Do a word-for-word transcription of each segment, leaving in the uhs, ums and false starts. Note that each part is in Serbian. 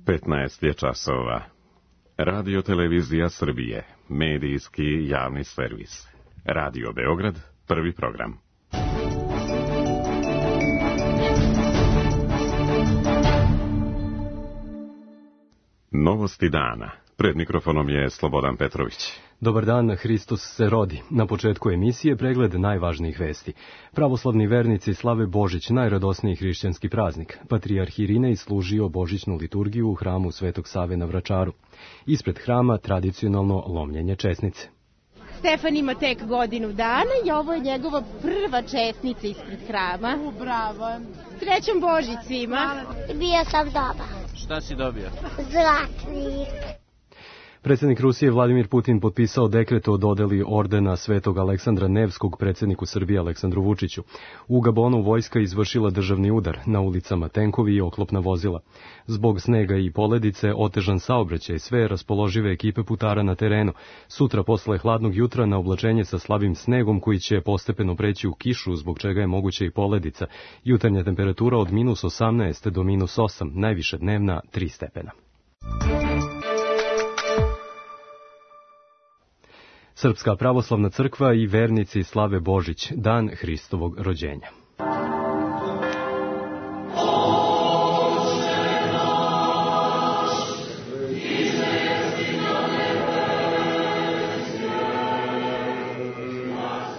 petnaest je časova. Radio Televizija Srbije, medijski javni servis. Radio Beograd, prvi program. Novosti dana. Pred mikrofonom je Slobodan Petrović. Dobar dan, Hristos se rodi. Na početku emisije pregled najvažnijih vesti. Pravoslavni vernici slave Božić, najradosniji hrišćanski praznik. Patrijarh Irinej služio božićnu liturgiju u hramu Svetog Save na Vračaru. Ispred hrama tradicionalno lomljenje česnice. Stefan ima tek godinu dana i ovo je njegova prva česnica ispred hrama. U, bravo. Srećan Božić svima. Bio sam dobar. Šta si dobio? Zlatnik. Predsjednik Rusije Vladimir Putin potpisao dekret o dodeli ordena Svetog Aleksandra Nevskog predsjedniku Srbije Aleksandru Vučiću. U Gabonu vojska izvršila državni udar, na ulicama tenkovi i oklopna vozila. Zbog snega i poledice otežan saobraćaj, sve raspoložive ekipe putara na terenu. Sutra posle hladnog jutra na oblačenje sa slabim snegom koji će postepeno preći u kišu, zbog čega je moguća i poledica. Jutarnja temperatura od minus osamnaest do minus osam, najviše dnevna tri stepena. Srpska pravoslavna crkva i vernici slave Božić, dan Hristovog rođenja.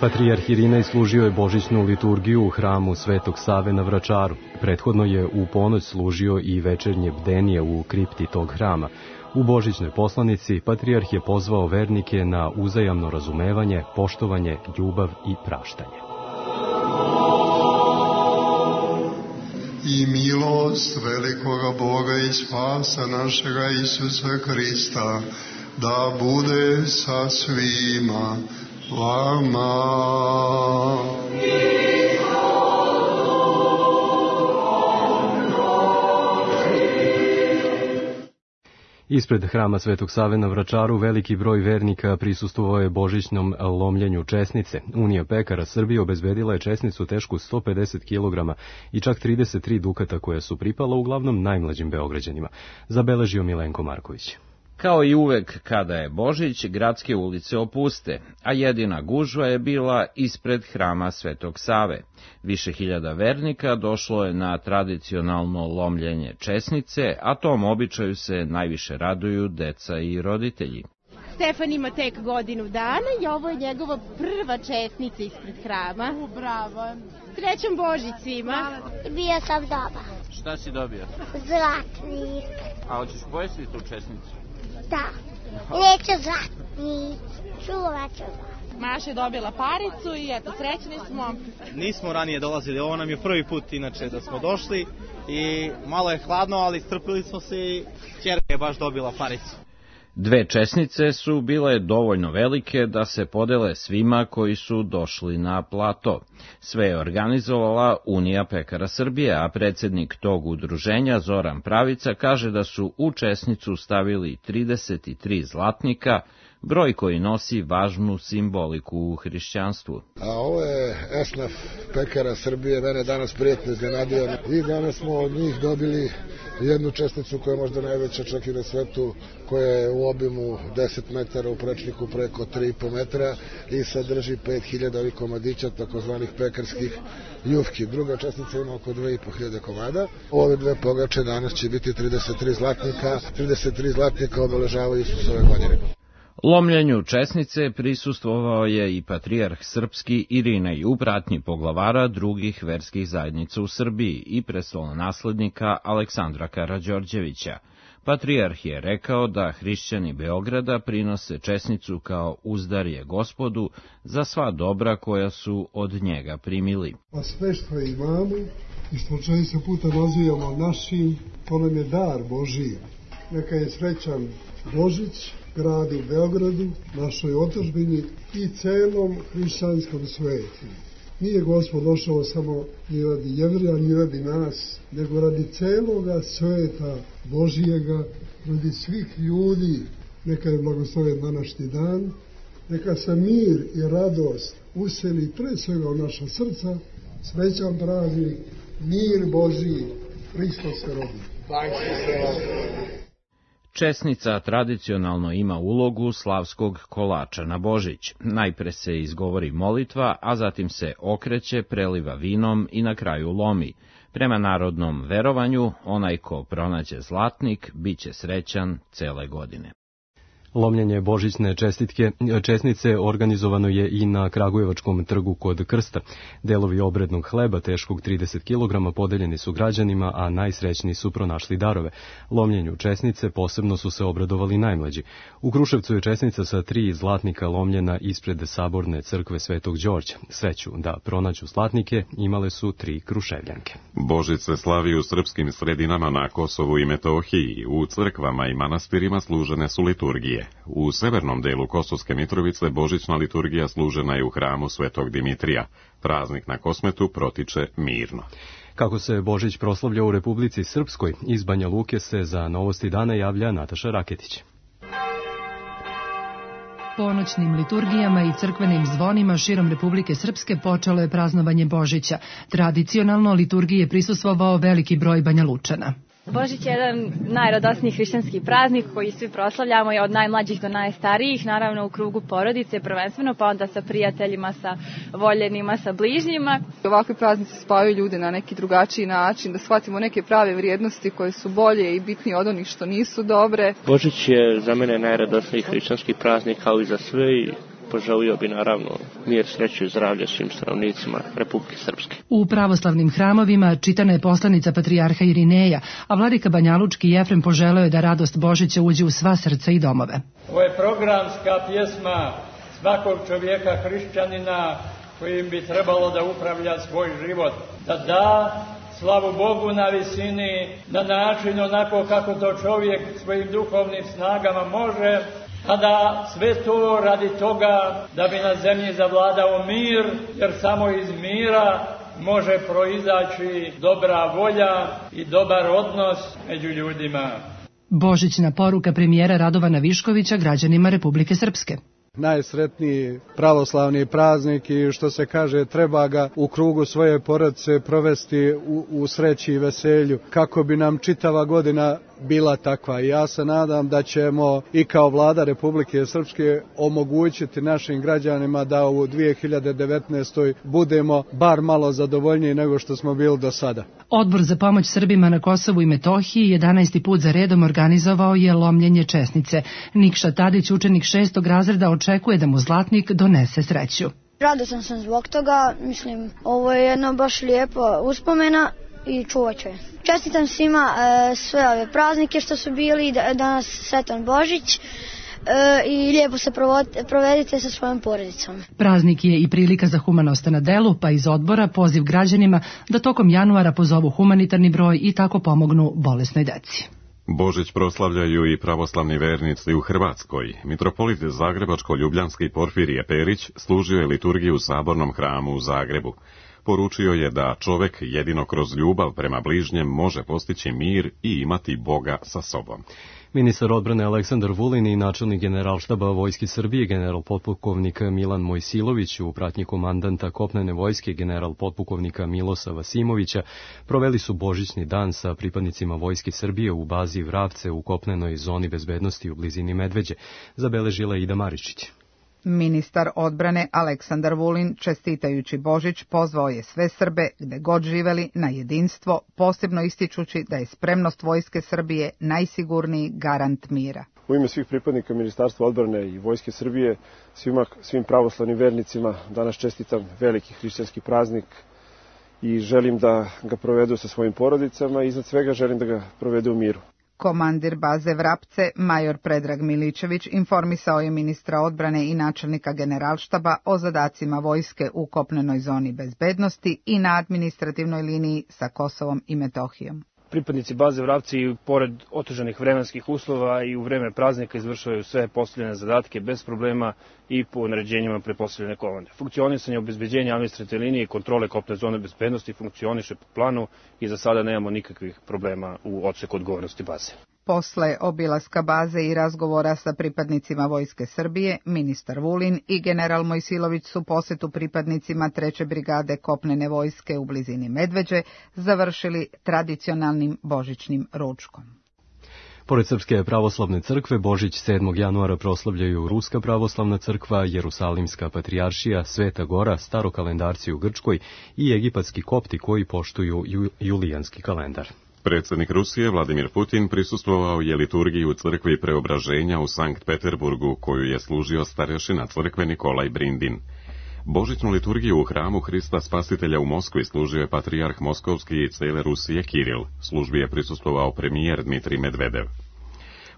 Patrijarh Irinej služio je božićnu liturgiju u hramu Svetog Save na Vračaru. Prethodno je u ponoć služio i večernje bdenije u kripti tog hrama. U božićnoj poslanici patrijarh je pozvao vernike na uzajamno razumevanje, poštovanje, ljubav i praštanje. I milost velikoga Boga i spasa našega Isusa Hrista da bude sa svima vama. Ispred hrama Svetog Save na Vračaru veliki broj vernika prisustvovao je božićnom lomljenju česnice. Unija pekara Srbije obezbedila je česnicu tešku sto pedeset kilograma i čak trideset tri dukata koja su pripala uglavnom najmlađim Beograđanima, zabeležio Milenko Marković. Kao i uvek kada je Božić, gradske ulice opuste, a jedina gužva je bila ispred hrama Svetog Save. Više hiljada vernika došlo je na tradicionalno lomljenje česnice, a tom običaju se najviše raduju deca i roditelji. Stefan ima tek godinu dana i ovo je njegova prva česnica ispred hrama. U, bravo. Srećan Božić svima. Bio sam dobar. Šta si dobio? Zlatnik. A hoćeš pojesti tu česnicu? Da. Neću zlatnik. Čuvat ću ga. Maša je dobila paricu i eto, srećni smo. Nismo ranije dolazili, ovo nam je prvi put inače da smo došli i malo je hladno, ali strpili smo se i ćerka je baš dobila paricu. Dve česnice su bile dovoljno velike da se podele svima koji su došli na plato. Sve je organizovala Unija pekara Srbije, a predsjednik tog udruženja Zoran Pravica kaže da su u česnicu stavili trideset tri zlatnika, broj koji nosi važnu simboliku u hrišćanstvu. A ovo je esnaf pekara Srbije, mene danas prijatno iznenadio i danas smo od njih dobili jednu česnicu koja je možda najveća čak i na svetu, koja je u obimu deset metara, u prečniku preko tri i po metra i sadrži pet hiljada ovih komadića, takozvanih pekarskih jufki. Druga česnica ima oko dve i po hiljade komada. Ove dve pogače danas će biti trideset tri zlatnika, trideset tri zlatnika obeležavaju Isusove godine. Lomljenju česnice prisustvovao je i patrijarh srpski Irinej u pratnji poglavara drugih verskih zajednica u Srbiji i prestolonaslednika Aleksandra Karađorđevića. Patrijarh je rekao da hrišćani Beograda prinose česnicu kao uzdarje Gospodu za sva dobra koja su od njega primili. A sve što imamo i što često puta nazivamo našim, to nam je dar Božiji. Neka je srećan Božić gradu Beogradu, našoj otadžbini i celom hrišćanskom svetu. Nije Gospod došao samo ni radi Jevrija, ni radi nas, nego radi celoga sveta Božijega, radi svih ljudi. Neka je blagosloven današnji dan, neka se mir i radost useli pre svega u naša srca, srećan praznik, mir Božiji, Hristos se rodi. Česnica tradicionalno ima ulogu slavskog kolača na Božić. Najpre se izgovori molitva, a zatim se okreće, preliva vinom i na kraju lomi. Prema narodnom verovanju, onaj ko pronađe zlatnik, bit će srećan cele godine. Lomljenje božićne čestitke, česnice organizovano je i na Kragujevačkom trgu kod Krsta. Delovi obrednog hleba teškog trideset kilograma podeljeni su građanima, a najsrećniji su pronašli darove. Lomljenju česnice posebno su se obradovali najmlađi. U Kruševcu je česnica sa tri zlatnika lomljena ispred saborne crkve Svetog Đorđa. Sreću da pronađu zlatnike imale su tri Kruševljanke. Božić se slavi u srpskim sredinama na Kosovu i Metohiji. U crkvama i manastirima služene su liturgije. U severnom delu Kosovske Mitrovice božićna liturgija služena je u hramu Svetog Dimitrija. Praznik na Kosmetu protiče mirno. Kako se Božić proslavlja u Republici Srpskoj, iz Banja Luke se za Novosti dana javlja Nataša Raketić. Ponoćnim liturgijama i crkvenim zvonima širom Republike Srpske počelo je praznovanje Božića. Tradicionalno liturgiji je prisustvovao veliki broj Banjalučana. Božić je jedan najradosniji hrišćanski praznik koji svi proslavljamo od najmlađih do najstarijih, naravno u krugu porodice prvenstveno, pa onda sa prijateljima, sa voljenima, sa bližnjima. Ovakvi praznici spajaju ljude na neki drugačiji način, da shvatimo neke prave vrijednosti koje su bolje i bitnije od onih što nisu dobre. Božić je za mene najradosniji hrišćanski praznik kao i za sve i poželio bi naravno mir, sreću i zdravlje svim stanovnicima Republike Srpske. U pravoslavnim hramovima čitana je poslanica patrijarha Irineja, a vladika Banjalučki Jefrem poželeo je da radost Božića uđe u sva srca i domove. Ovo je programska pjesma svakog čovjeka hrišćanina kojim bi trebalo da upravlja svoj život, da da slavu Bogu na visini, na način onako kako to čovjek svojim duhovnim snagama može, a da sve to radi toga da bi na zemlji zavladao mir, jer samo iz mira može proizaći dobra volja i dobar odnos među ljudima. Božićna poruka premijera Radovana Viškovića građanima Republike Srpske. Najsretniji pravoslavni praznik i što se kaže treba ga u krugu svoje porodice provesti u, u sreći i veselju kako bi nam čitava godina bila takva. I ja se nadam da ćemo i kao vlada Republike Srpske omogućiti našim građanima da u dvije hiljade devetnaestoj budemo bar malo zadovoljniji nego što smo bili do sada. Odbor za pomoć Srbima na Kosovu i Metohiji jedanaesti put za redom organizovao je lomljenje česnice. Nikša Tadić, učenik šestog razreda, očekuje da mu zlatnik donese sreću. Radosan sam zbog toga, mislim, ovo je jedna baš lijepa uspomena i čuvat ću je. Čestitam svima e, sve ove praznike što su bili, da, danas sretan Božić e, i lijepo se provedite sa svojom porodicom. Praznik je i prilika za humanost na delu, pa iz odbora poziv građanima da tokom januara pozovu humanitarni broj i tako pomognu bolesnoj deci. Božić proslavljaju i pravoslavni vernici u Hrvatskoj. Mitropolit Zagrebačko-Ljubljanski Porfirije Perić služio je liturgiju u Sabornom hramu u Zagrebu. Poručio je da čovek jedino kroz ljubav prema bližnjem može postići mir i imati Boga sa sobom. Ministar odbrane Aleksandar Vulin i načelnik Generalštaba Vojske Srbije general potpukovnik Milan Mojsilović u pratnji komandanta kopnene vojske general potpukovnika Milosa Vasimovića proveli su božićni dan sa pripadnicima Vojske Srbije u bazi Vravce u kopnenoj zoni bezbednosti u blizini Medveđe, zabeležila Ida Maričić. Ministar odbrane Aleksandar Vulin, čestitajući Božić, pozvao je sve Srbe, gde god živeli, na jedinstvo, posebno ističući da je spremnost Vojske Srbije najsigurniji garant mira. U ime svih pripadnika Ministarstva odbrane i Vojske Srbije, svima, svim pravoslavnim vernicima danas čestitam veliki hrišćanski praznik i želim da ga provedu sa svojim porodicama i iznad svega želim da ga provedu u miru. Komandir baze Vrapce, major Predrag Miličević, informisao je ministra odbrane i načelnika Generalštaba o zadacima vojske u kopnenoj zoni bezbednosti i na administrativnoj liniji sa Kosovom i Metohijom. Pripadnici baze Vrapci i pored otežanih vremenskih uslova i u vreme praznika izvršavaju sve postavljene zadatke bez problema i po naređenjima prepostavljene komande. Funkcionisanje, obezbeđenja administrativne linije i kontrole kopne zone bezbednosti funkcioniše po planu i za sada nemamo nikakvih problema u odseku odgovornosti baze. Posle obilaska baze i razgovora sa pripadnicima Vojske Srbije, ministar Vulin i general Mojsilović su posetu pripadnicima treće brigade kopnene vojske u blizini Medveđe završili tradicionalnim božićnim ručkom. Pored Srpske pravoslavne crkve, Božić sedmog januara proslavljaju Ruska pravoslavna crkva, Jerusalimska patrijaršija, Sveta Gora, starokalendarci u Grčkoj i egipatski kopti koji poštuju ju, julijanski kalendar. Predsjednik Rusije Vladimir Putin prisustvovao je liturgiji u crkvi Preobraženja u Sankt Peterburgu, koju je služio starešina crkve Nikolaj Brindin. Božićnu liturgiju u hramu Hrista Spasitelja u Moskvi služio je patrijarh Moskovski i cijele Rusije Kiril. Službi je prisustvovao premijer Dmitrij Medvedev.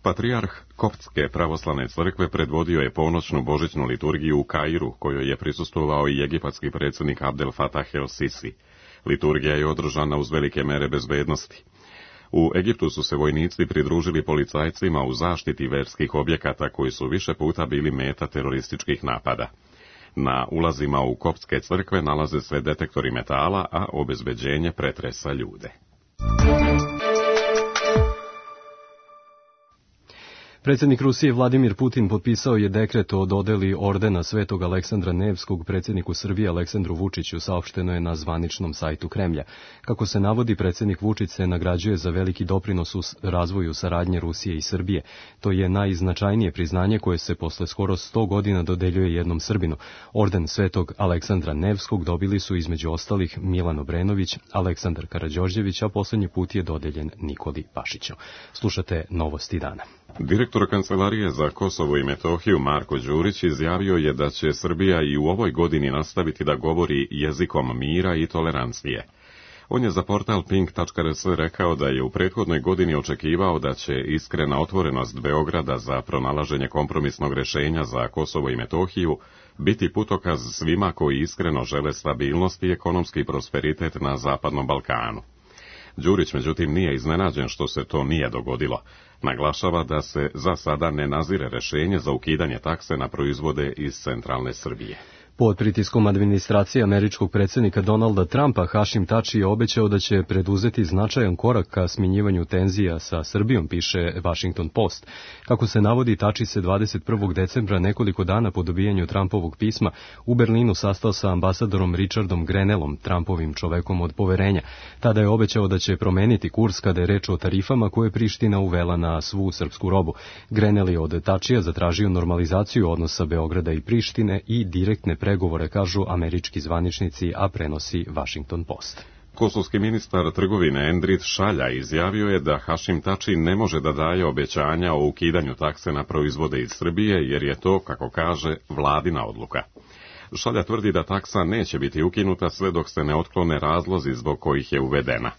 Patrijarh Koptske pravoslavne crkve predvodio je ponoćnu božićnu liturgiju u Kairu, kojoj je prisustvovao i egipatski predsjednik Abdel Fattah el-Sisi. Liturgija je održana uz velike mere bezbednosti. U Egiptu su se vojnici pridružili policajcima u zaštiti verskih objekata koji su više puta bili meta terorističkih napada. Na ulazima u koptske crkve nalaze se detektori metala, a obezbeđenje pretresa ljude. Predsjednik Rusije Vladimir Putin potpisao je dekret o dodeli ordena Svetog Aleksandra Nevskog predsjedniku Srbije Aleksandru Vučiću, saopšteno je na zvaničnom sajtu Kremlja. Kako se navodi, predsjednik Vučić se nagrađuje za veliki doprinos u razvoju saradnje Rusije i Srbije. To je najznačajnije priznanje koje se posle skoro sto godina dodeljuje jednom Srbinu. Orden Svetog Aleksandra Nevskog dobili su između ostalih Milan Obrenović, Aleksandar Karađorđević, a posljednji put je dodeljen Nikoli Pašiću. Slušate Novosti dana. Direktor Kancelarije za Kosovo i Metohiju Marko Đurić izjavio je da će Srbija i u ovoj godini nastaviti da govori jezikom mira i tolerancije. On je za portal pink tačka r s rekao da je u prethodnoj godini očekivao da će iskrena otvorenost Beograda za pronalaženje kompromisnog rješenja za Kosovo i Metohiju biti putokaz svima koji iskreno žele stabilnost i ekonomski prosperitet na Zapadnom Balkanu. Đurić, međutim, nije iznenađen što se to nije dogodilo. Naglašava da se za sada ne nazire rješenje za ukidanje takse na proizvode iz centralne Srbije. Pod pritiskom administracije američkog predsjednika Donalda Trumpa, Hašim Tači je obećao da će preduzeti značajan korak ka smanjivanju tenzija sa Srbijom, piše Washington Post. Kako se navodi, Tači se dvadeset prvog decembra, nekoliko dana po dobijanju Trumpovog pisma, u Berlinu sastao sa ambasadorom Richardom Grenellom, Trumpovim čovekom od poverenja. Tada je obećao da će promeniti kurs kada je reč o tarifama koje Priština uvela na svu srpsku robu. Grenell je od Tačija zatražio normalizaciju odnosa Beograda i Prištine i direktne pregovore, kažu američki zvaničnici, a prenosi Washington Post. Kosovski ministar trgovine Endrit Šalja izjavio je da Hašim Tači ne može da daje obećanja o ukidanju takse na proizvode iz Srbije, jer je to, kako kaže, vladina odluka. Šalja tvrdi da taksa neće biti ukinuta sve dok se ne otklone razlozi zbog kojih je uvedena.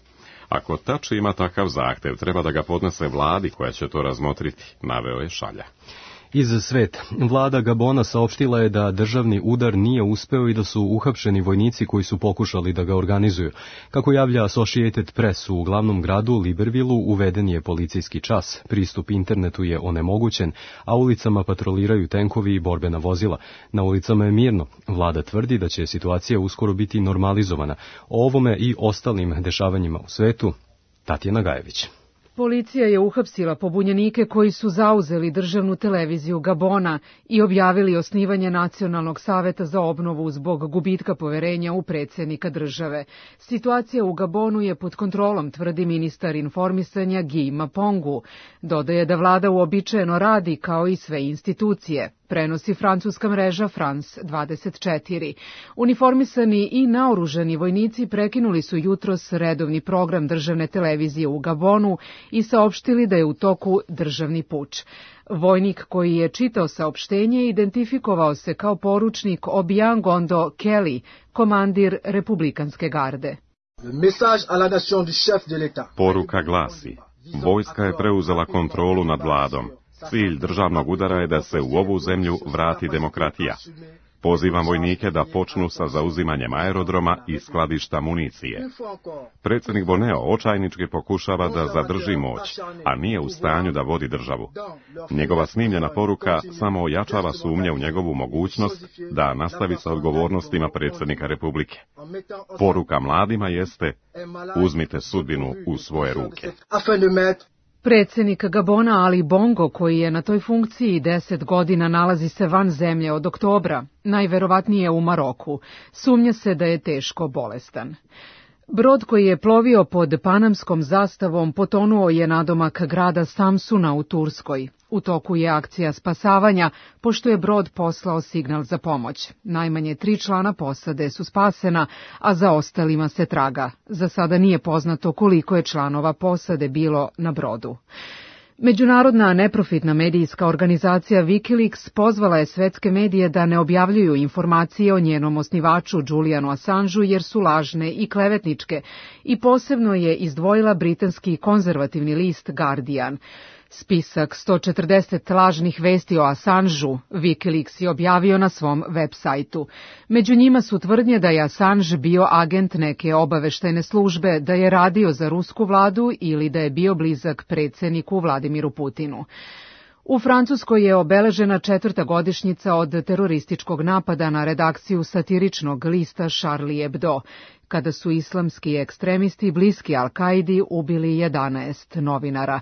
Ako Tači ima takav zahtev, treba da ga podnese vladi koja će to razmotriti, naveo je Šalja. Iz sveta. Vlada Gabona saopštila je da državni udar nije uspeo i da su uhapšeni vojnici koji su pokušali da ga organizuju. Kako javlja Associated Press, u glavnom gradu Librevilleu uveden je policijski čas, pristup internetu je onemogućen, a ulicama patroliraju tenkovi i borbena vozila. Na ulicama je mirno. Vlada tvrdi da će situacija uskoro biti normalizovana. O ovome i ostalim dešavanjima u svetu, Tatjana Gajević. Policija je uhapsila pobunjenike koji su zauzeli državnu televiziju Gabona i objavili osnivanje Nacionalnog saveta za obnovu zbog gubitka poverenja u predsjednika države. Situacija u Gabonu je pod kontrolom, tvrdi ministar informisanja Guy Mapongu. Dodaje da vlada uobičajeno radi kao i sve institucije. Prenosi francuska mreža France dvadeset četiri. Uniformisani i naoružani vojnici prekinuli su jutros redovni program državne televizije u Gabonu i saopštili da je u toku državni puč. Vojnik koji je čitao saopštenje identifikovao se kao poručnik Obiangondo Kelly, komandir republikanske garde. Poruka glasi: vojska je preuzela kontrolu nad vladom. Cilj državnog udara je da se u ovu zemlju vrati demokratija. Pozivam vojnike da počnu sa zauzimanjem aerodroma i skladišta municije. Predsjednik Boneo očajnički pokušava da zadrži moć, a nije u stanju da vodi državu. Njegova snimljena poruka samo ojačava sumnje u njegovu mogućnost da nastavi sa odgovornostima predsjednika Republike. Poruka mladima jeste: uzmite sudbinu u svoje ruke. Predsjednik Gabona Ali Bongo, koji je na toj funkciji deset godina, nalazi se van zemlje od oktobra, najverovatnije u Maroku. Sumnja se da je teško bolestan. Brod koji je plovio pod panamskom zastavom potonuo je nadomak grada Samsuna u Turskoj. U toku je akcija spasavanja, pošto je brod poslao signal za pomoć. Najmanje tri člana posade su spasena, a za ostalima se traga. Za sada nije poznato koliko je članova posade bilo na brodu. Međunarodna neprofitna medijska organizacija Wikileaks pozvala je svetske medije da ne objavljuju informacije o njenom osnivaču Julianu Assangeu jer su lažne i klevetničke i posebno je izdvojila britanski konzervativni list Guardian. Spisak sto četrdeset lažnih vesti o Assangeu Wikileaks je objavio na svom web sajtu. Među njima su tvrdnje da je Assange bio agent neke obaveštajne službe, da je radio za rusku vladu ili da je bio blizak predsjedniku Vladimiru Putinu. U Francuskoj je obeležena četvrta godišnjica od terorističkog napada na redakciju satiričnog lista Charlie Hebdo, kada su islamski ekstremisti bliski Al-Kaidi ubili jedanaest novinara.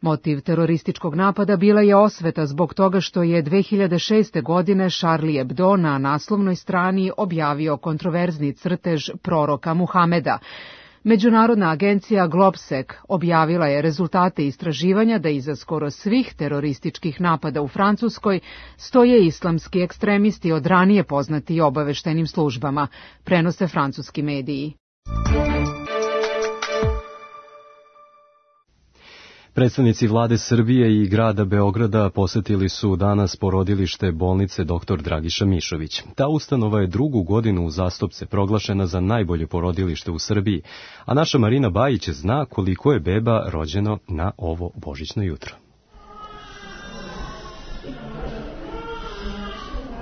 Motiv terorističkog napada bila je osveta zbog toga što je dve hiljade šeste. godine Charlie Hebdo na naslovnoj strani objavio kontroverzni crtež proroka Muhameda. Međunarodna agencija Globsec objavila je rezultate istraživanja da iza skoro svih terorističkih napada u Francuskoj stoje islamski ekstremisti od ranije poznati obaveštajnim službama, prenose francuski mediji. Predstavnici vlade Srbije i grada Beograda posetili su danas porodilište bolnice doktor Dragiša Mišović. Ta ustanova je drugu godinu uzastopce proglašena za najbolje porodilište u Srbiji, a naša Marina Bajić zna koliko je beba rođeno na ovo božićno jutro.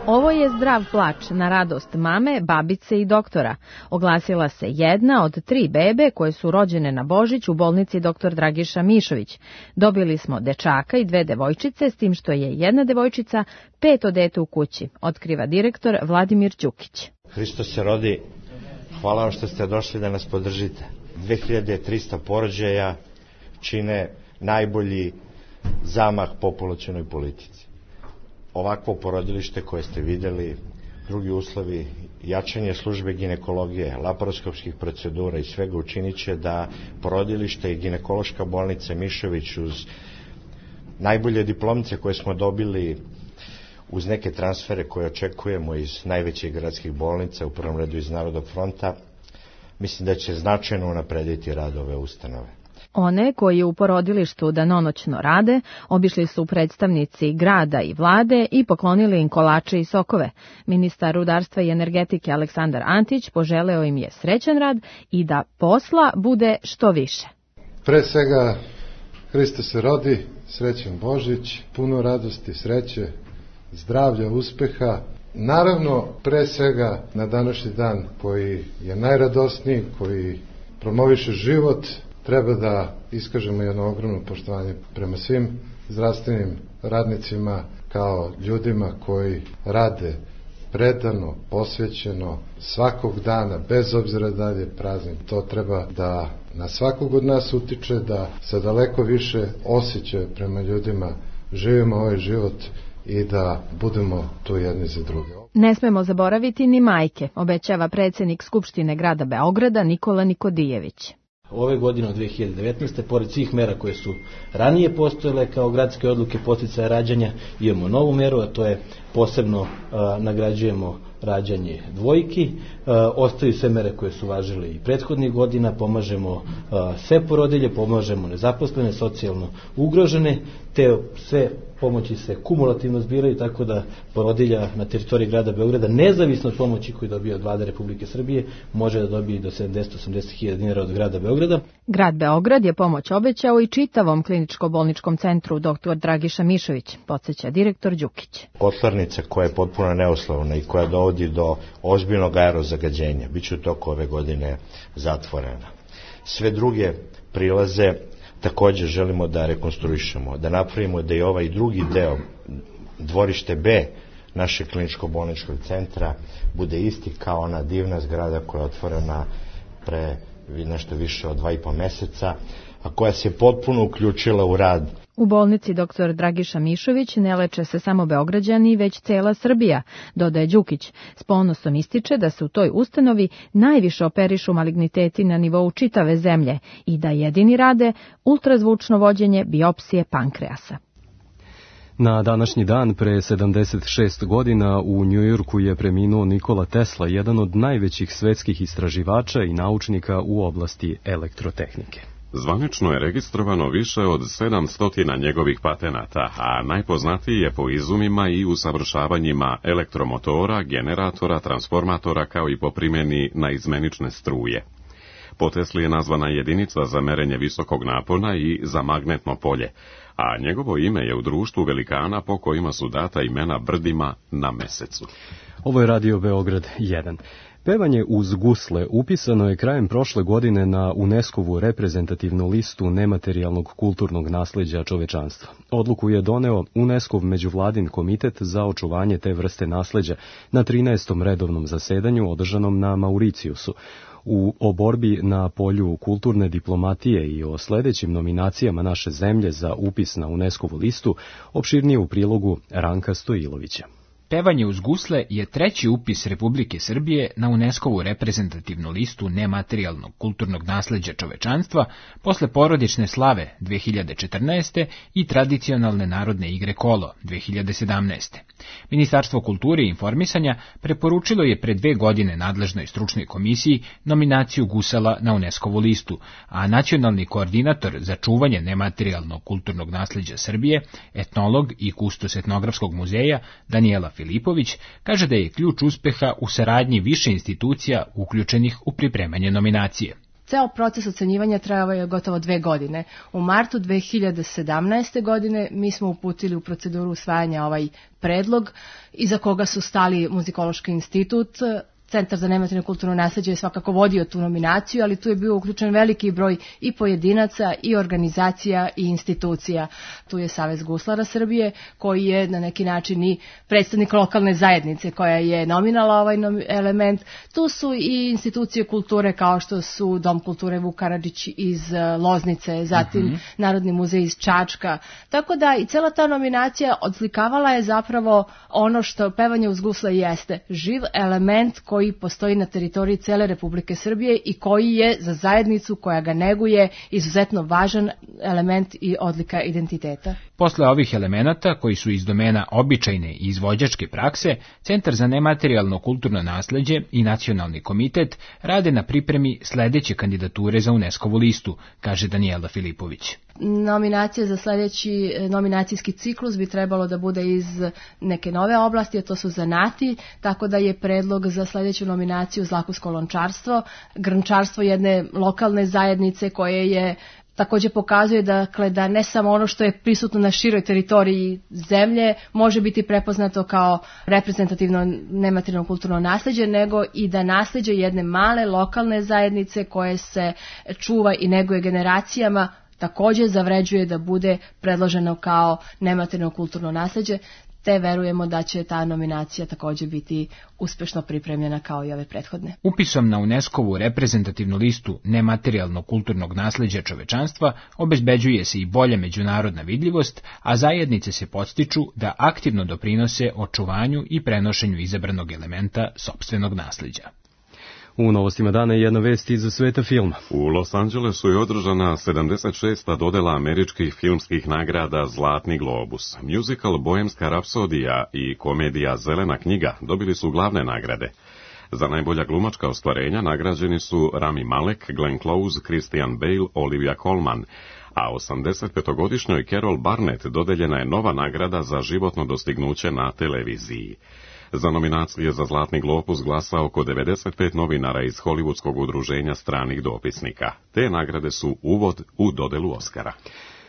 Ovo je zdrav plač na radost mame, babice i doktora. Oglasila se jedna od tri bebe koje su rođene na Božić u bolnici doktor Dragiša Mišović. Dobili smo dečaka i dve devojčice, s tim što je jedna devojčica peto dete u kući, otkriva direktor Vladimir Đukić. Hristos se rodi, hvala vam što ste došli da nas podržite. dve hiljade trista porođaja čine najbolji zamah populacionoj politici. Ovakvo porodilište koje ste vidjeli, drugi uslovi, jačanje službe ginekologije, laparoskopskih procedura i svega učinit će da porodilište i ginekološka bolnica Mišović uz najbolje diplomce koje smo dobili, uz neke transfere koje očekujemo iz najvećih gradskih bolnica, u prvom redu iz Narodnog fronta, mislim da će značajno unaprediti rad ove ustanove. One koji u porodilištu danonoćno rade, obišli su predstavnici grada i vlade i poklonili im kolače i sokove. Ministar rudarstva i energetike Aleksandar Antić poželeo im je srećan rad i da posla bude što više. Pre svega, Hristos se rodi, srećan Božić, puno radosti, sreće, zdravlja, uspeha. Naravno, pre svega na današnji dan koji je najradosniji, koji promoviše život, treba da iskažemo jedno ogromno poštovanje prema svim zdravstvenim radnicima kao ljudima koji rade predano, posvećeno, svakog dana, bez obzira da li je praznik. To treba da na svakog od nas utiče, da se daleko više osjeća prema ljudima, živimo ovaj život i da budemo tu jedni za druge. Ne smemo zaboraviti ni majke, obećava predsjednik Skupštine grada Beograda Nikola Nikodijević. Ove godine od dve hiljade devetnaeste. pored svih mera koje su ranije postojale kao gradske odluke podsticaja rađanja, imamo novu meru, a to je posebno a, nagrađujemo rađanje dvojki, a, ostaju sve mere koje su važile i prethodnih godina, pomažemo a, sve porodilje, pomažemo nezaposlene, socijalno ugrožene, te sve pomoći se kumulativno zbiraju, tako da porodilja na teritoriji grada Beograda, nezavisno od pomoći koju dobije od vlade Republike Srbije, može da dobije do sedamdeset do osamdeset hiljada dinara od grada Beograda. Grad Beograd je pomoć obećao i čitavom kliničko-bolničkom centru doktor Dragiša Mišović, podsjeća direktor Đukić. Kotlarnica koja je potpuno neuslovna i koja dovodi do ozbiljnog aerozagađenja, bit će u toku ove godine zatvorena. Sve druge prilaze također želimo da rekonstruišemo, da napravimo da i ovaj drugi deo, dvorište B našeg kliničko-bolničkog centra, bude isti kao ona divna zgrada koja je otvorena pre nešto više od dva i po meseca, a koja se potpuno uključila u rad. U bolnici doktor Dragiša Mišović ne leče se samo Beograđani, već cela Srbija, dodaje Đukić. S ponosom ističe da se u toj ustanovi najviše operišu maligniteti na nivou čitave zemlje i da jedini rade ultrazvučno vođenje biopsije pankreasa. Na današnji dan pre sedamdeset šest godina u Njujorku je preminuo Nikola Tesla, jedan od najvećih svetskih istraživača i naučnika u oblasti elektrotehnike. Zvanično je registrovano više od sedamsto njegovih patenata, a najpoznatiji je po izumima i usavršavanjima elektromotora, generatora, transformatora kao i po primjeni na izmenične struje. Po Tesli je nazvana jedinica za merenje visokog napona i za magnetno polje, a njegovo ime je u društvu velikana po kojima su data imena brdima na mesecu. Ovo je Radio Beograd jedan. Pevanje uz gusle upisano je krajem prošle godine na UNESCO-vu reprezentativnu listu nematerijalnog kulturnog nasleđa čovečanstva. Odluku je doneo UNESCO-v međuvladin komitet za očuvanje te vrste nasleđa na trinaestom redovnom zasedanju održanom na Mauricijusu. U o borbi na polju kulturne diplomatije i o sledećim nominacijama naše zemlje za upis na UNESCO-vu listu opširnije u prilogu Ranka Stojilovića. Pevanje uz gusle je treći upis Republike Srbije na UNESCO-vu reprezentativnu listu nematerijalnog kulturnog nasleđa čovečanstva posle porodične slave dve hiljade četrnaeste. i tradicionalne narodne igre kolo dve hiljade sedamnaeste. Ministarstvo kulture i informisanja preporučilo je pre dve godine nadležnoj stručnoj komisiji nominaciju gusala na UNESCO-vu listu, a nacionalni koordinator za čuvanje nematerijalnog kulturnog nasleđa Srbije, etnolog i kustos etnografskog muzeja Danijela Filipović, kaže da je ključ uspeha u saradnji više institucija uključenih u pripremanje nominacije. Ceo proces ocenjivanja trajao je gotovo dve godine. U martu dve hiljade sedamnaeste. godine mi smo uputili u proceduru usvajanja ovaj predlog, iza koga su stali Muzikološki institut. Centar za nematerijalno kulturno nasleđe je svakako vodio tu nominaciju, ali tu je bio uključen veliki broj i pojedinaca, i organizacija, i institucija. Tu je Savez guslara Srbije, koji je na neki način i predstavnik lokalne zajednice koja je nominala ovaj element. Tu su i institucije kulture kao što su Dom kulture Vuk Karadžić iz Loznice, zatim mm-hmm. Narodni muzej iz Čačka. Tako da i cela ta nominacija odslikavala je zapravo ono što pevanje uz gusle jeste. Živ element koji koji postoji na teritoriji cele Republike Srbije i koji je za zajednicu koja ga neguje izuzetno važan element i odlika identiteta. Posle ovih elemenata, koji su iz domena običajne i izvođačke prakse, Centar za nematerijalno kulturno nasleđe i Nacionalni komitet rade na pripremi sledeće kandidature za UNESCO-vu listu, kaže Danijela Filipović. Nominacija za sledeći nominacijski ciklus bi trebalo da bude iz neke nove oblasti, a to su zanati, tako da je predlog za sledeću nominaciju zlakusko lončarstvo, grnčarstvo jedne lokalne zajednice koje je takođe pokazuje dakle, da ne samo ono što je prisutno na široj teritoriji zemlje može biti prepoznato kao reprezentativno nematerijalno kulturno nasleđe, nego i da nasleđe jedne male lokalne zajednice koje se čuva i neguje generacijama takođe zavređuje da bude predloženo kao nematerijalno kulturno nasleđe, te verujemo da će ta nominacija takođe biti uspešno pripremljena kao i ove prethodne. Upisom na UNESCO-vu reprezentativnu listu nematerijalnog kulturnog nasleđa čovečanstva obezbeđuje se i bolja međunarodna vidljivost, a zajednice se podstiču da aktivno doprinose očuvanju i prenošenju izabranog elementa sopstvenog nasleđa. U novostima dana je jedna vest iz sveta filma. U Los Angelesu je održana sedamdeset šesta dodela američkih filmskih nagrada Zlatni globus. Musical Bohemska rapsodija i komedija Zelena knjiga dobili su glavne nagrade. Za najbolja glumačka ostvarenja nagrađeni su Rami Malek, Glenn Close, Christian Bale, Olivia Colman, a osamdesetpetogodišnjoj Carol Barnett dodeljena je nova nagrada za životno dostignuće na televiziji. Za nominacije za Zlatni globus glasa oko devedeset pet novinara iz Hollywoodskog udruženja stranih dopisnika. Te nagrade su uvod u dodelu Oskara.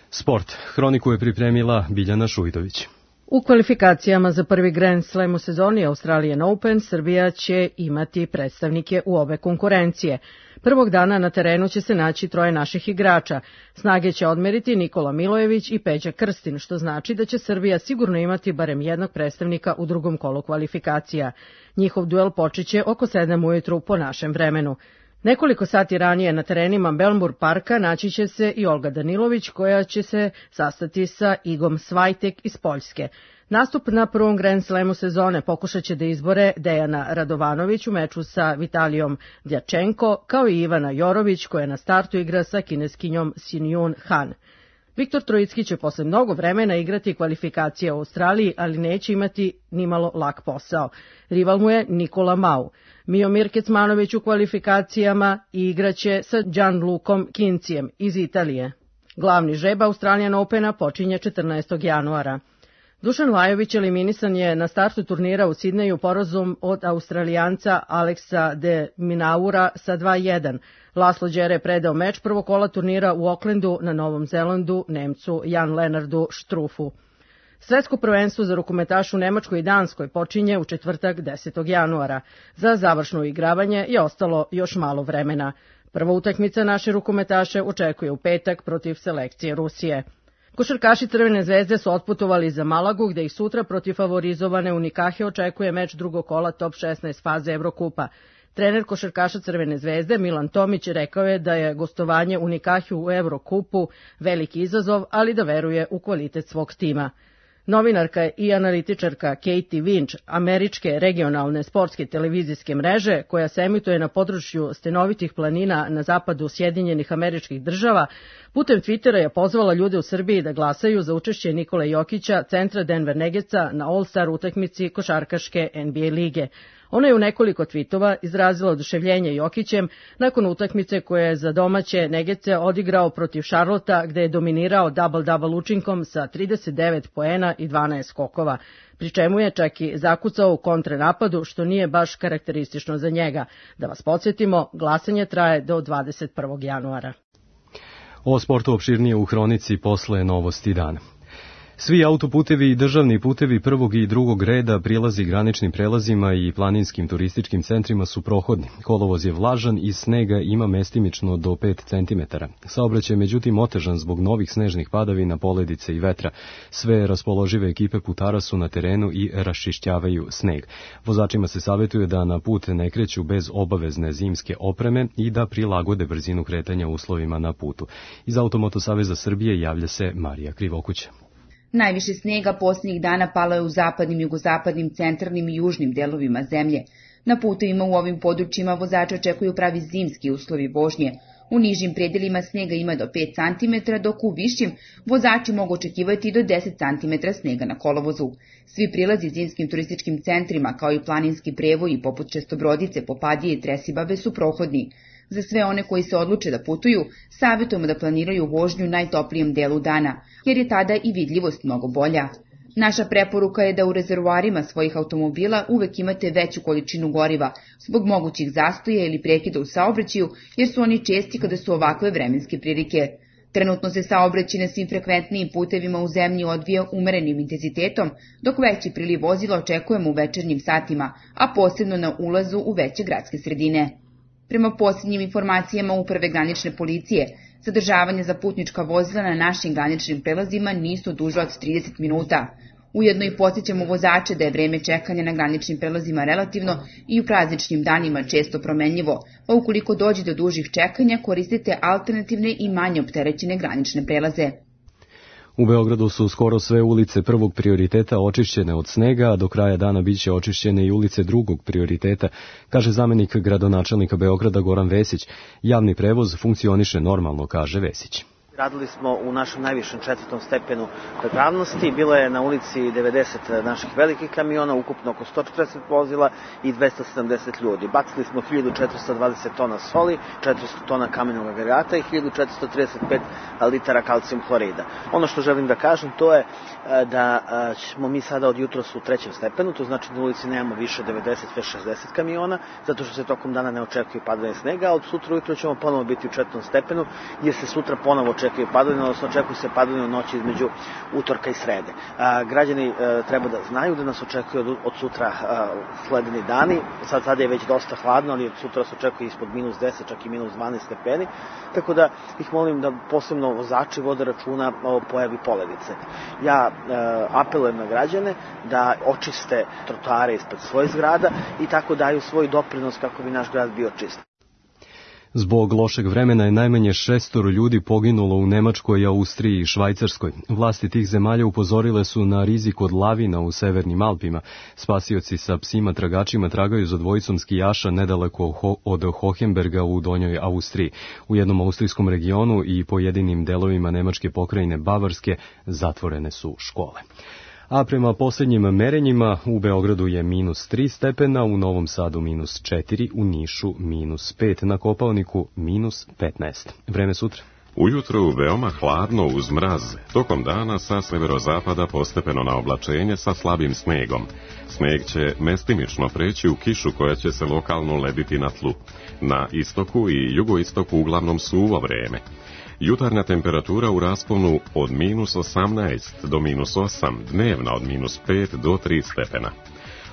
Sport. Hroniku je pripremila Biljana Šujdović. U kvalifikacijama za prvi Grand Slam u sezoni Australian Open Srbija će imati predstavnike u obe konkurencije. Prvog dana na terenu će se naći troje naših igrača. Snage će odmeriti Nikola Milojević i Peđa Krstin, što znači da će Srbija sigurno imati barem jednog predstavnika u drugom kolu kvalifikacija. Njihov duel počeće oko sedam ujutru po našem vremenu. Nekoliko sati ranije na terenima Belmur parka naći će se i Olga Danilović, koja će se sastati sa Igom Svajtek iz Poljske. Nastup na prvom Grand Slamu sezone pokušat će da izbore Dejana Radovanović u meču sa Vitalijom Djačenko, kao i Ivana Jorović, koja na startu igra sa kineskinjom Sinjun Han. Viktor Trojicki će posle mnogo vremena igrati kvalifikacije u Australiji, ali neće imati nimalo lak posao. Rival mu je Nikola Mau. Miomir Kecmanović u kvalifikacijama igraće sa Gianlukom Kincijem iz Italije. Glavni žreb Australian Opena počinje četrnaestog januara. Dušan Lajović eliminisan je na startu turnira u Sidneju porazom od Australijanca Aleksa de Minaura sa dva jedan. Laslo Đere predao meč prvog kola turnira u Aucklandu na Novom Zelandu Nemcu Jan Lenardu Štrufu. Svetsko prvenstvo za rukometaš u Nemačkoj i Danskoj počinje u četvrtak desetog januara. Za završno igravanje je ostalo još malo vremena. Prva utakmica naše rukometaše očekuje u petak protiv selekcije Rusije. Košarkaši Crvene zvezde su otputovali za Malagu, gde ih sutra protiv favorizovane Unikahe očekuje meč drugog kola top šesnaest faze Evrokupa. Trener košarkaša Crvene zvezde Milan Tomić rekao je da je gostovanje Unikahe u Evrokupu veliki izazov, ali da veruje u kvalitet svog tima. Novinarka i analitičarka Katie Winch, američke regionalne sportske televizijske mreže, koja se emituje na području stenovitih planina na zapadu Sjedinjenih Američkih Država, putem Twittera je pozvala ljude u Srbiji da glasaju za učešće Nikole Jokića, centra Denver Nuggetsa, na All-Star utakmici košarkaške N B A lige. Ona je u nekoliko tvitova izrazila oduševljenje Jokićem nakon utakmice koje je za domaće Nuggetse odigrao protiv Charlotta, gde je dominirao double-double učinkom sa trideset devet poena i dvanaest skokova, pri čemu je čak i zakucao u kontrenapadu, što nije baš karakteristično za njega. Da vas podsjetimo, glasanje traje do dvadeset prvog januara. O sportu opširnije u hronici posle novosti dana. Svi autoputevi i državni putevi prvog i drugog reda, prilazi graničnim prelazima i planinskim turističkim centrima su prohodni. Kolovoz je vlažan i snega ima mestimično do pet centimetara. Saobraćaj je međutim otežan zbog novih snežnih padavina, poledice i vetra. Sve raspoložive ekipe putara su na terenu i raščišćavaju sneg. Vozačima se savjetuje da na put ne kreću bez obavezne zimske opreme i da prilagode brzinu kretanja uslovima na putu. Iz Automoto saveza Srbije javlja se Marija Krivokuća. Najviše snega posljednjih dana palo je u zapadnim, jugozapadnim, centralnim i južnim delovima zemlje. Na putevima u ovim područjima vozače očekuju pravi zimski uslovi vožnje. U nižim predelima snega ima do pet centimetara, dok u višim vozači mogu očekivati do deset centimetara snega na kolovozu. Svi prilazi zimskim turističkim centrima, kao i planinski prevoji poput Čestobrodice, Popadije i Tresibabe su prohodni. Za sve one koji se odluče da putuju, savjetujemo da planiraju vožnju u najtoplijem delu dana, jer je tada i vidljivost mnogo bolja. Naša preporuka je da u rezervoarima svojih automobila uvek imate veću količinu goriva, zbog mogućih zastoja ili prekida u saobraćaju, jer su oni česti kada su ovakve vremenske prilike. Trenutno se saobraćaj na svim frekventnijim putevima u zemlji odvija umerenim intenzitetom, dok veći priliv vozila očekujemo u večernjim satima, a posebno na ulazu u veće gradske sredine. Prema posljednjim informacijama Uprave granične policije, zadržavanje za putnička vozila na našim graničnim prelazima nisu duže od trideset minuta. Ujedno i podsjećamo vozače da je vreme čekanja na graničnim prelazima relativno i u prazničnim danima često promenljivo, pa ukoliko dođe do dužih čekanja koristite alternativne i manje opterećene granične prelaze. U Beogradu su skoro sve ulice prvog prioriteta očišćene od snega, a do kraja dana biće očišćene i ulice drugog prioriteta, kaže zamenik gradonačelnika Beograda Goran Vesić. Javni prevoz funkcioniše normalno, kaže Vesić. Radili smo u našem najvišem četvrtom stepenu pripravnosti. Bilo je na ulici devedeset naših velikih kamiona, ukupno oko sto četrdeset vozila i dvesta sedamdeset ljudi. Bacili smo hiljadu četiristo dvadeset tona soli, četiristo tona kamenog agregata i hiljadu četiristo trideset pet litara kalcijum hlorida. Ono što želim da kažem to je da ćemo mi sada od jutros u trećem stepenu, to znači da na ulici nemamo više devedeset, šezdeset kamiona, zato što se tokom dana ne očekuje padanje snega, a od sutra ujutro ćemo ponovo biti u četvrtom stepenu, gdje se sutra ponovo očekuje padanje, odnosno očekuje se padanje u noći između utorka i srede. A, građani a, treba da znaju da nas očekuje od, od sutra a, sledeni dani, sad, sad je već dosta hladno, ali od sutra se očekuje ispod minus deset, čak i minus dvanaest stepeni, tako da ih molim da posebno vozači vode računa o pojavi poledice. Ja a, apelujem na građane da očiste trotoare ispred svojih zgrada i tako daju svoj doprinos kako bi naš grad bio čist. Zbog lošeg vremena je najmanje šestoro ljudi poginulo u Nemačkoj, Austriji i Švajcarskoj. Vlasti tih zemalja upozorile su na rizik od lavina u severnim Alpima. Spasioci sa psima tragačima tragaju za dvojicom skijaša nedaleko od Hohenberga u Donjoj Austriji. U jednom austrijskom regionu i pojedinim delovima nemačke pokrajine Bavarske zatvorene su škole. A prema posljednjim merenjima u Beogradu je minus tri stepena, u Novom Sadu minus četiri, u Nišu minus pet, na Kopaoniku minus petnaest. Vreme sutra. Ujutro veoma hladno uz mraz, tokom dana sa severozapada postepeno na oblačenje sa slabim snegom. Sneg će mestimično preći u kišu koja će se lokalno lediti na tlu. Na istoku i jugoistoku uglavnom suvo vreme. Jutarnja temperatura u rasponu od minus osamnaest do minus osam, dnevna od minus pet do tri stepena.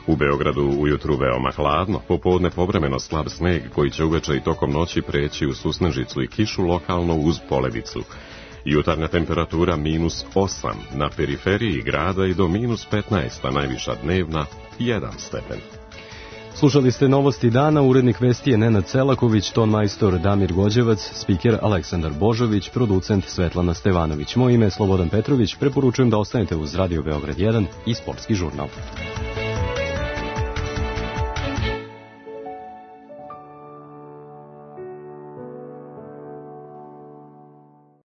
U Beogradu ujutru veoma hladno, popodne povremeno slab sneg koji će uveče i tokom noći preći u susnežicu i kišu lokalno uz poledicu. Jutarnja temperatura minus osam, na periferiji grada i do minus petnaest, a najviša dnevna jedan stepen. Slušali ste novosti dana, urednik vesti je Nenad Celaković, ton majstor Damir Gođevac, spiker Aleksandar Božović, producent Svetlana Stevanović. Moje ime je Slobodan Petrović, preporučujem da ostanete uz Radio Beograd jedan i Sportski žurnal.